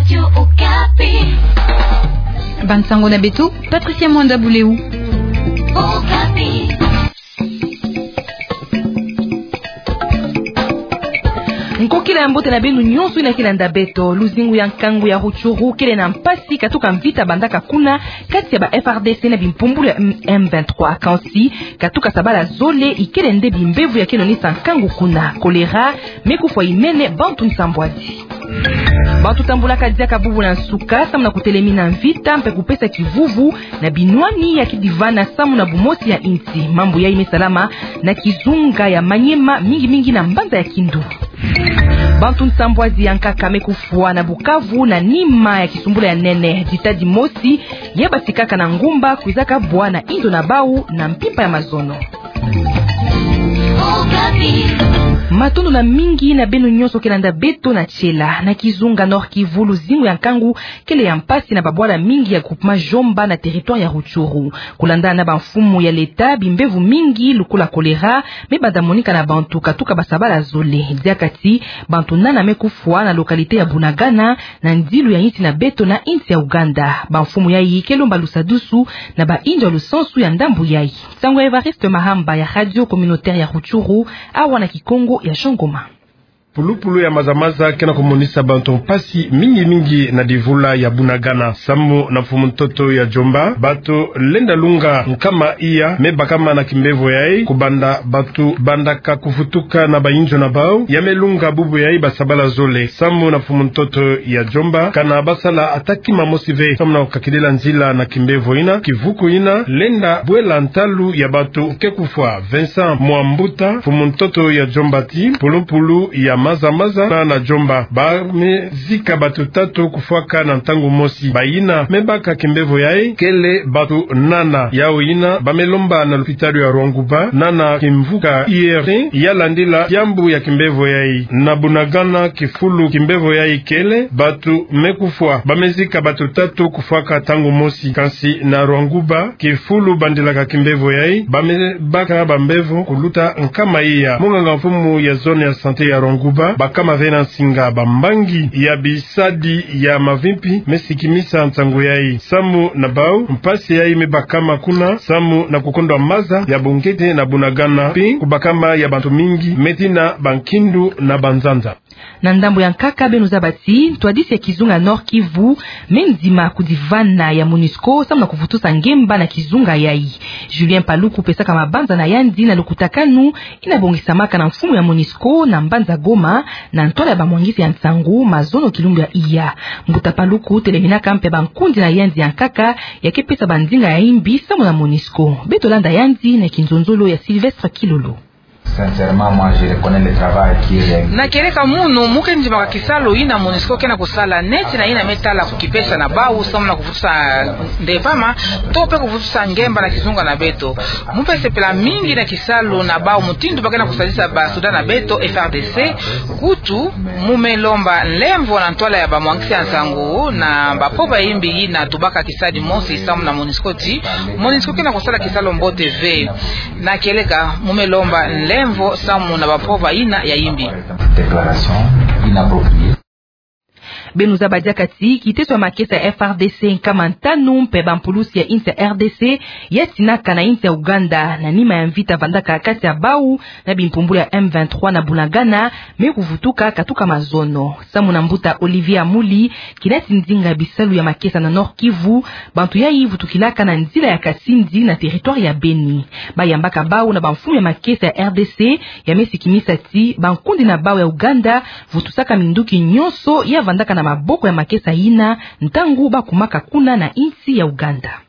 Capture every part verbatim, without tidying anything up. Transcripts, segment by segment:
Radio Okapi. Bansango na beto, Patricia Mwanda Buleu. Okapi. Nkokila ya mbote na beno nyonso yina ke landa beto. Luzingu ya nkangu ya Rutshuru kele na mpasi katuka mvita bandaka kuna kati ya ba F R D C na bimpumbulu ya M vingt-trois. Kansi katuka sabala zole ikele nde bimbevo ya ke nonisa nkangu kuna. Kolera me kufwa imene bantu nsambwadi. Bantu tambulaka diaka bubu na nsuka samu na kutelemina mvita mpe kupesa kivuvu na binwani ya kidivana samu na bumosi ya insi. Mambu yayi me salama na kizunga ya Maniema, mingi mingi na mbanza ya Kindu. Bantu nsambwadi ya nkaka me kufwa na Bukavu na nima ya kisumbula ya nene. Ditadi mosi ya basikaka na ngumba kwizaka bwa na inzo na bau na mpimpa ya mazono. Matondo na mingi na beno nyonso ke landa beto na tiela. Na kizunga Nord-Kivu, luzingu ya nkangu kele ya mpasi na babwala mingi ya groupement Djomba na territoire ya Rutshuru. Kulandana na bamfumu ya leta, bimbevo mingi lokola kolera me banda monika na bantu katuka basabala zole. Diaka ti bantu nana me kufwa na localité ya Bunagana, na ndilu ya insi na beto na insi ya Ouganda. Bamfumu yayi ke lomba lusadusu na bainzo ya lusansu ya ndambu yayi. Nsangu ya Evariste Mahamba ya Radio Communautaire ya Rutshuru, awa na Kikongo ya Jean Ngoma. Pulupulu ya maza-maza ke na kumonisa bantu mpasi mingi mingi na divula ya Bunagana. Samu na mfumu-ntoto ya Djomba, bantu lenda lunga nkama iya me bakama na kimbevo yayi, kubanda bantu bandaka kuvutuka na bainzo na bau, ya me lunga bubu yayi basabala zole. Samu na mfumu-ntoto ya Djomba, kana basala ata kima mosi ve samu na kukakidila nzila na kimbevo yina. Kivuku yina lenda bwela ntalu ya bantu ke kufwa. Vincent Mwambuta, mfumu-ntoto ya Djomba, ti pulupulu ya maza-maza na, na Djomba, ba me zika bantu tatu kufwaka na ntangu mosi. Bayina me baka kimbevo yayi kele bantu nana. Yau yina ba me lomba na lupitalu ya Rwanguba, nana kimvuka I R T ya landila kiambu ya kimbevo yayi. Na Bunagana, kifulu kimbevo yayi kele, bantu me kufwa, ba me zika bantu tatu kufwaka ntangu mosi. Kansi na Rwanguba, kifulu bandilaka kimbevo yayi, ba me baka bambevo kuluta nkama iya. Munganga mfumu ya zone ya santé ya Rwanguba, bakama ve na nsinga bambangi ya bisadi ya mavimpi me sikimisa nsangu yayi. Samu na bau, mpasi yayi me bakama kuna samu na kukondwa maza ya bongete na Bunagana, mpe kubakama ya bantu mingi me tina bankindu na banzanza. Na ndambu ya nkaka, beno zaba ti ntwadisi ya kizunga Nord-Kivu me ndima kudivana ya MONUSCO samu na kuvutusa ngemba na kizunga yayi. Julien Paluku pesaka mabanza na yandi na lukutakanu yina bongisamaka na mfumu ya MONUSCO na mbanza Goma, na ntwala ya bamwangisi ya nsangu, mazono kilumbu ya iya. Mbuta Paluku teleminaka mpe bankundi na yandi ya nkaka ya ke pesa bandinga ya imbi samu na MONUSCO. Beto landa yandi na kinzonzolo ya Sylvestre Kilolo. Sincèrement, moi, je reconnais le travail qui est réalisé. Na kieleka munu, mu ke ndimaka kisalu yina MONUSCO ke na kusala, neti na yina me tala kukipesa na bau samu na kuvutusa ndevama, to mpe kuvutusa ngemba na kizunga na beto. Mu mpe sepela mingi na kisalu na bau, mutindu ba ke na kusadisa ba soda na beto, F R D C. Kutu, mu me lomba nlemvo na ntwala ya bamwangisi ya nsangu na bampova ya imbi yina tubaka kisadi mosi samu na MONUSCO ti MONUSCO ke na kusala kisalu mbote ve. Na kieleka, mu me lomba nlemvo samu na bampova yina ya imbi. Déclaration inappropriée. Beno zaba diaka ti kiteso ya makesa ya F R D C nkama ntanu mpe bampulusi ya insi ya R D C ya tinaka na insi ya Ouganda na nima ya mvita vandaka kati ya bau na bimpumbulu ya M vingt-trois na Bunagana me kuvutuka katuka mazono. Samu na mbuta Olivier Amuli, kina ti ndinga bisalu ya makesa na Nord-Kivu, bantu yayi vutukilaka na nzila ya Kasindi na territoire ya Beni. Ba yambaka bau na bamfumu ya makesa ya R D C ya me sikimisa ti bankundi na bau ya Ouganda vutusaka minduki nyonso ya vandaka na maboko ya makesa yina ntangu ba kumaka kuna na insi ya Ouganda.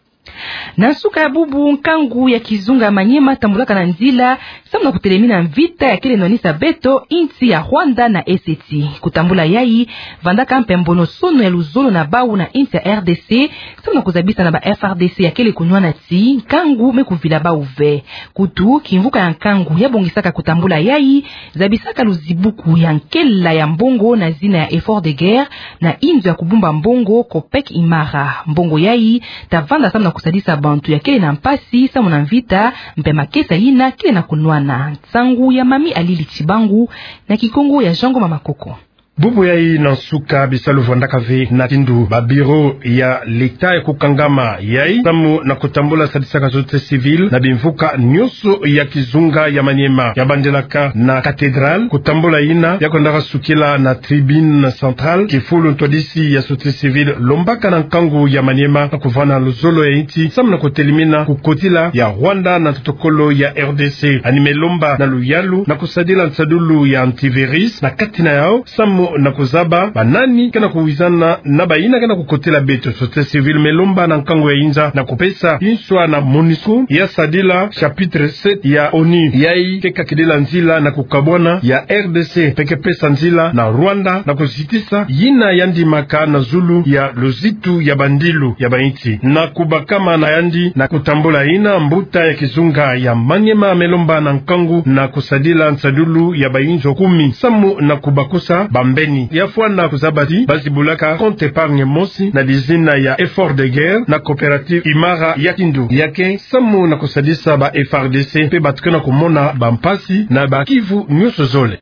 Na nsuka ya bubu, nkangu ya kizunga ya Maniema tambulaka na nzila samu na kutelemina mvita ya kele nwanisa beto insi ya Rwanda na Ossétie. Kutambula yayi vandaka mpe mbono-sono ya luzolo na bau na insi ya R D C samu na kuzabisa na ba F R D C ya kele kunwana ti nkangu me kuvila bau ve. Kutu, kimvuka ya nkangu ya bongisaka kutambula yayi zabisaka luzibuku ya nkela ya mbongo na zina ya effort de guerre na inzo ya kubumba mbongo Copec Imara. Mbongo yayi ta vanda samu na kusadisa bantu ya kele na mpasi samu na mvita mpe makesa yina kele na kunwana. Nsangu ya Mami Alili Tshibangu na Kikongo ya Jean Ngoma Makoko. Bubu yayi na nsuka bisalu vwandaka ve na tindu. Ba bureau ya l'État ya kukangama yayi samu na kutambula sadisaka société civile na bimvuka nyonso ya kizunga ya Maniema. Ya bandilaka na cathédrale, kutambula yina ya kwendaka sukila na tribune centrale. Kifulu ntwadisi ya société civile lombaka na nkangu ya Maniema na kuvana luzolo ya insi samu na kutelemina kukotila ya Rwanda na tokolo ya R D C. Yandi me lomba na luyalu na kusadila nsadulu ya antivirus na kati na yau, samu na kuzaba banani ke na kuwizana na bayina ke na kukotila beto. Société civile me lomba na nkangu ya inza na kupesa nswa na MONUSCO ya sadila chapitre sept ya ONU. Yayi ke kakidila nzila na kukabwana ya R D C, mpe ke pesa nzila na Rwanda na kuzitisa yina yandi maka na zulu ya luzitu ya bandilu ya bainsi. Na kubakama na yandi na kutambula yina, mbuta ya kizunga ya Maniema me lomba na nkangu na kusadila nsadulu ya bainzo kumi samu na kubakusa bambeni. Ya fwana kuzaba ti ba zibulaka compte épargne mosi na dizina ya Effort de Guerre na coopérative Imara ya tindu ya ke samu na kusadisa ba F A R D C mpe bato ke na kumona bampasi na ba kivu nyonso zole.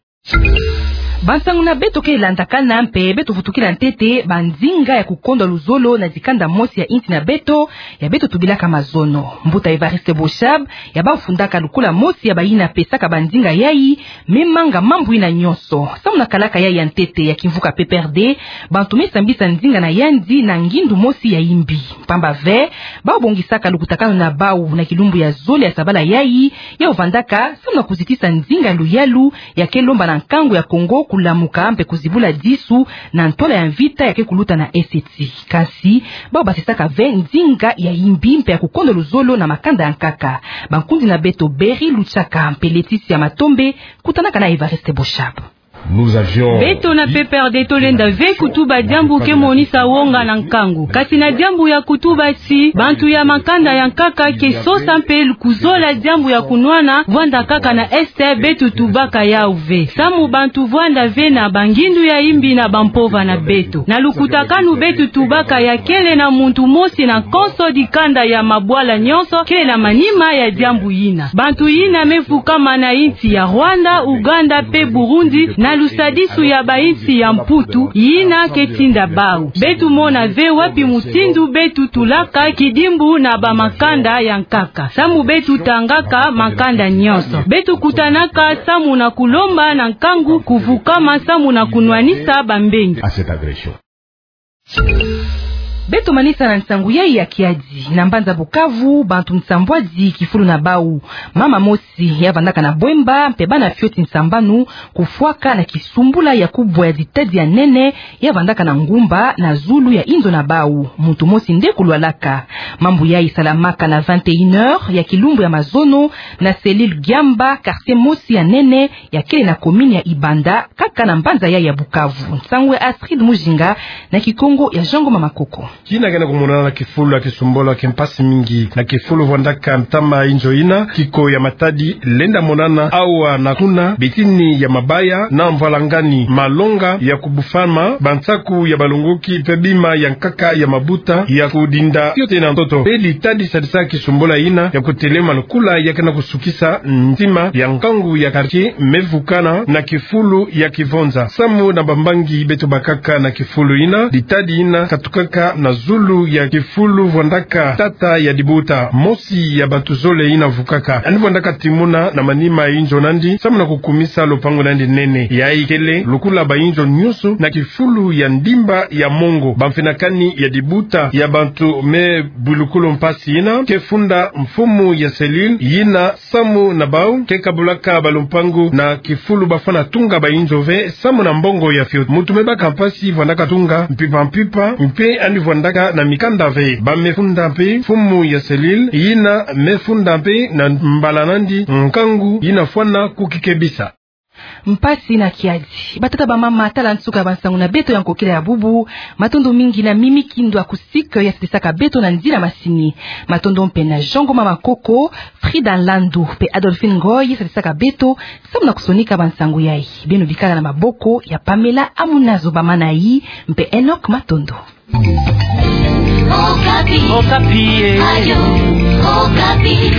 Bansangu na beto ke landakana mpe beto vutukila ntete banzinga ya kukondwa luzolo na dikanda mosi ya insi na beto, ya beto tubilaka mazono. Mbuta Évariste Boshab, ya bau fundaka lukula mosi ya bayina pesaka banzinga yayi, me manga mambu yina nyonso. Samu na kalaka yayi ya ntete ya kimvuka P P R D, bantu me sambisa nzinga na yandi na ngindu mosi ya imbi. Mpamba ve, bau bongisaka lukutakanu na bau na kilumbu ya zole ya sabala yayi, yau vandaka samu na kuzitisa nzinga luyalu ya ke lomba na nkangu ya Congo kulamuka mpe kuzibula disu na ntwala ya mvita ya ke kuluta na Est. Kasi bau basisaka ve nzinga ya imbi mpe ya kukondwa luzolo na makanda ya nkaka. Bankundi na beto Berry Luchaka mpe Laetitia Matombe kutanaka na Évariste Boshab. Beto na P P R D tolenda ve kutuba diambu ke monisa wonga na nkangu. Kasi na diambu ya kutuba ti bantu ya makanda ya nkaka ke sosa mpe kuzola diambu ya kunwana vwanda kaka na Est, beto tubaka yau ve. Samu bantu vwanda ve na bangindu ya imbi na bampova na beto. Na lukutakanu beto tubaka ya kele na muntu mosi na konso dikanda ya mabwala nyonso kele na manima ya diambu yina. Bantu yina me vukama na insi ya Rwanda, Ouganda mpe Burundi na lusadisu ya bainsi ya Mputu, yina ke tinda bau. Beto mona ve wapi mutindu beto tulaka kidimbu na bamakanda ya nkaka. Samu beto tangaka makanda nyonso. Beto kutanaka samu na kulomba na nkangu kuvukama samu na kunwanisa bambengi. Beto manisa na nsangu yayi ya kiadi. Na mbanza Bukavu, bantu nsambwadi kifulu na bau. Mama mosi ya vandaka na Bwemba mpe bana fioti nsambanu kufwaka na kisumbula ya kubwa ya ditadi ya nene ya vandaka na ngumba na zulu ya inzo na bau. Muntu mosi nde kulwalaka. Mambu yayi salamaka na vingt et une heures ya kilumbu ya mazono na cellule Giamba, quartier mosi ya nene ya kele na commune ya Ibanda, kaka na mbanza yayi ya Bukavu. Nsangu ya Astrid Mujinga na Kikongo ya Jean Ngoma Makoko. Kina ke na kumonana na kifulu ya kisumbula ke mpasi mingi. Na kifulu vwandaka ntama inzo yina, kiko ya matadi lenda monana awa na kuna, bitini ya mabaya na mvwalangani, malonga ya kubufama, bansaku ya balongoki mpe bima ya nkaka ya mabuta ya kudinda fioti na ntoto. Mpe ditadi sadisa kisumbula yina ya kutelema lukula ya ke na kusukisa ntima ya nkangu ya quartier me vukana na kifulu ya kivonza. Samu na bambangi beto bakaka na kifulu yina, ditadi yina katukaka na zulu ya kifulu vwandaka tata ya dibuta, mosi ya bantu zole yina vukaka. Yandi vwandaka timuna na manima ya inzo nandi samu na kukumisa lupangu nandi nene. Yayi kele lukula bainzo nyonso na kifulu ya ndimba ya mongo. Bamfinakani ya dibuta ya bantu me bwilukulu mpasi yina ke funda mfumu ya cellule yina samu na bau ke kabulaka balupangu na kifulu bafwana tunga bainzo ve samu na mbongo ya fioti. Muntu me baka mpasi vwandaka tunga mpimpa mpimpa, mpe yandi vwandaka na mikanda ve. Ba me funda mpe mfumu ya cellule yina me funda mpe na mbala nandi nkangu yina fwana kukikebisa. Mpasi na kiadi. Batata, bamama, tala nsuka ya bansangu na beto ya nkokila ya bubu. Matondo mingi na Mimi Kindwa Kusik ya sadisaka beto na nzila masini. Matondo mpe na Jean Ngoma Makoko, Frida Landu mpe Adolphine Ngoy ya sadisaka beto samu na kusonika bansangu yayi. Beno bikala na maboko ya Pamela Amunazo Bamanayi mpe Enoch Matondo. Okapi. Okapi, eh. Radio Okapi.